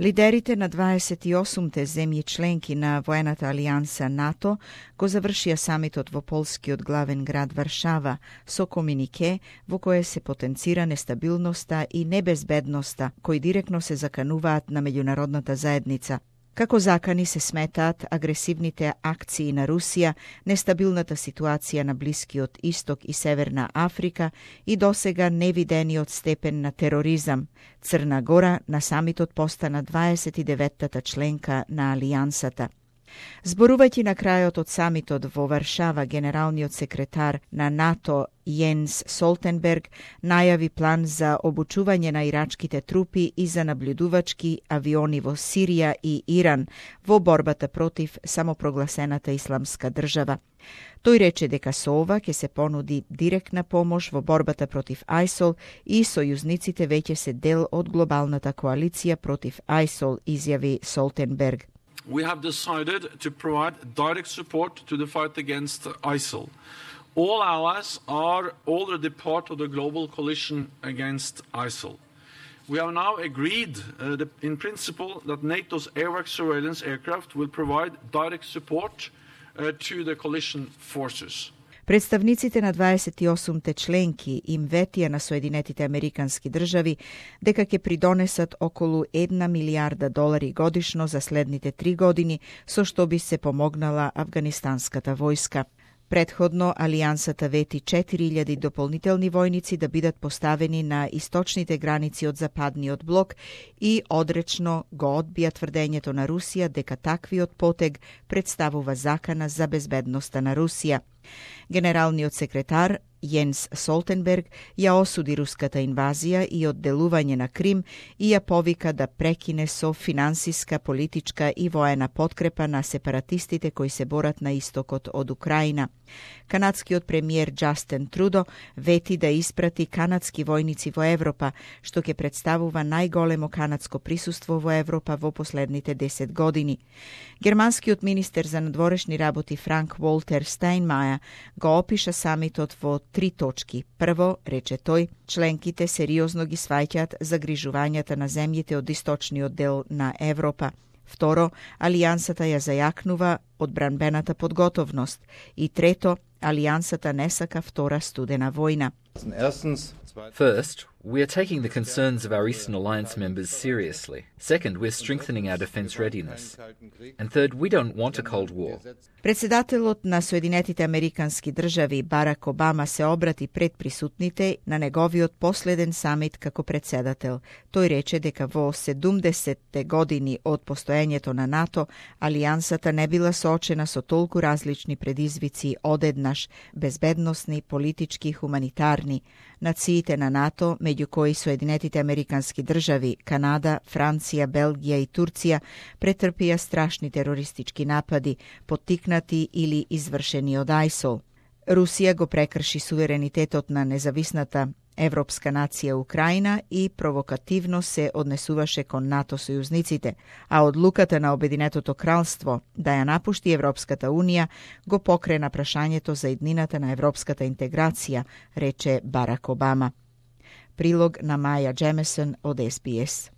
Лидерите на 28-те земји членки на воената алијанса НАТО го завршија самитот во полскиот главен град Варшава со комунике во кое се потенцира нестабилноста и небезбедноста кои директно се закануваат на меѓународната заедница. Како закани се сметаат агресивните акции на Русија, нестабилната ситуација на Блискиот Исток и Северна Африка и досега невидениот степен на тероризам. Црна Гора на самитот постана 29-та членка на Алијансата. Зборувајќи на крајот од самитот во Варшава, генералниот секретар на НАТО Јенс Солтенберг најави план за обучување на ирачките трупи и за наблюдувачки авиони во Сирија и Иран во борбата против самопрогласената исламска држава. Тој рече дека со ова ќе се понуди директна помош во борбата против ISIL и сојузниците веќе се дел од глобалната коалиција против ISIL, изјави Солтенберг. We have decided to provide direct support to the fight against ISIL. All allies are already part of the global coalition against ISIL. We have now agreed in principle that NATO's airwork surveillance aircraft will provide direct support to the coalition forces. Представниците на 28-те членки им ветија на Соединетите Американски држави дека ќе придонесат околу $1 милијарда годишно за следните 3 години, со што би се помогнала афганистанската војска. Предходно, Алијансата вети 4000 дополнителни војници да бидат поставени на источните граници од Западниот блок и одречно го одбија тврдењето на Русија дека таквиот потег представува закана за безбедноста на Русија. Генералниот секретар Јенс Солтенберг ја осуди руската инвазија и одделување на Крим и ја повика да прекине со финансиска, политичка и воена подкрепа на сепаратистите кои се борат на истокот од Украина. Канадскиот премиер Джастин Трудо вети да испрати канадски војници во Европа, што ќе представува најголемо канадско присуство во Европа во последните 10 години. Германскиот министер за надворешни работи Франк Волтер Стајнмајер го опиша самитот во 3 точки. Прво, рече тој, членките сериозно ги сваќаат загрижувањата на земјите од источниот дел на Европа. Второ, Алијансата ја зајакнува одбранбената подготовност. И трето, Алијансата не сака втора студена војна. First, we are taking the concerns of our Eastern Alliance members seriously. Second, we're strengthening our defense readiness. And third, we don't want a Cold War. Председателот на Соединетите Американски држави Барак Обама се обрати пред присутните на неговиот последен самит како председател. Тој рече дека во 70-те години од постоењето на НАТО, Алијансата не била соочена со толку различни предизвици одеднаш, безбедносни, политички, хуманитарни. Нациите на НАТО, меѓу кои Соединетите Американски држави, Канада, Франција, Белгија и Турција, претрпија страшни терористички напади, поттикнати или извршени од ISIL. Русија го прекрши суверенитетот на независната европска нација Украина и провокативно се однесуваше кон НАТО сојузниците, а одлуката на Обединетото кралство да ја напушти Европската унија го покрена прашањето за иднината на европската интеграција, рече Барак Обама. Прилог на Маја Джемесон од СБС.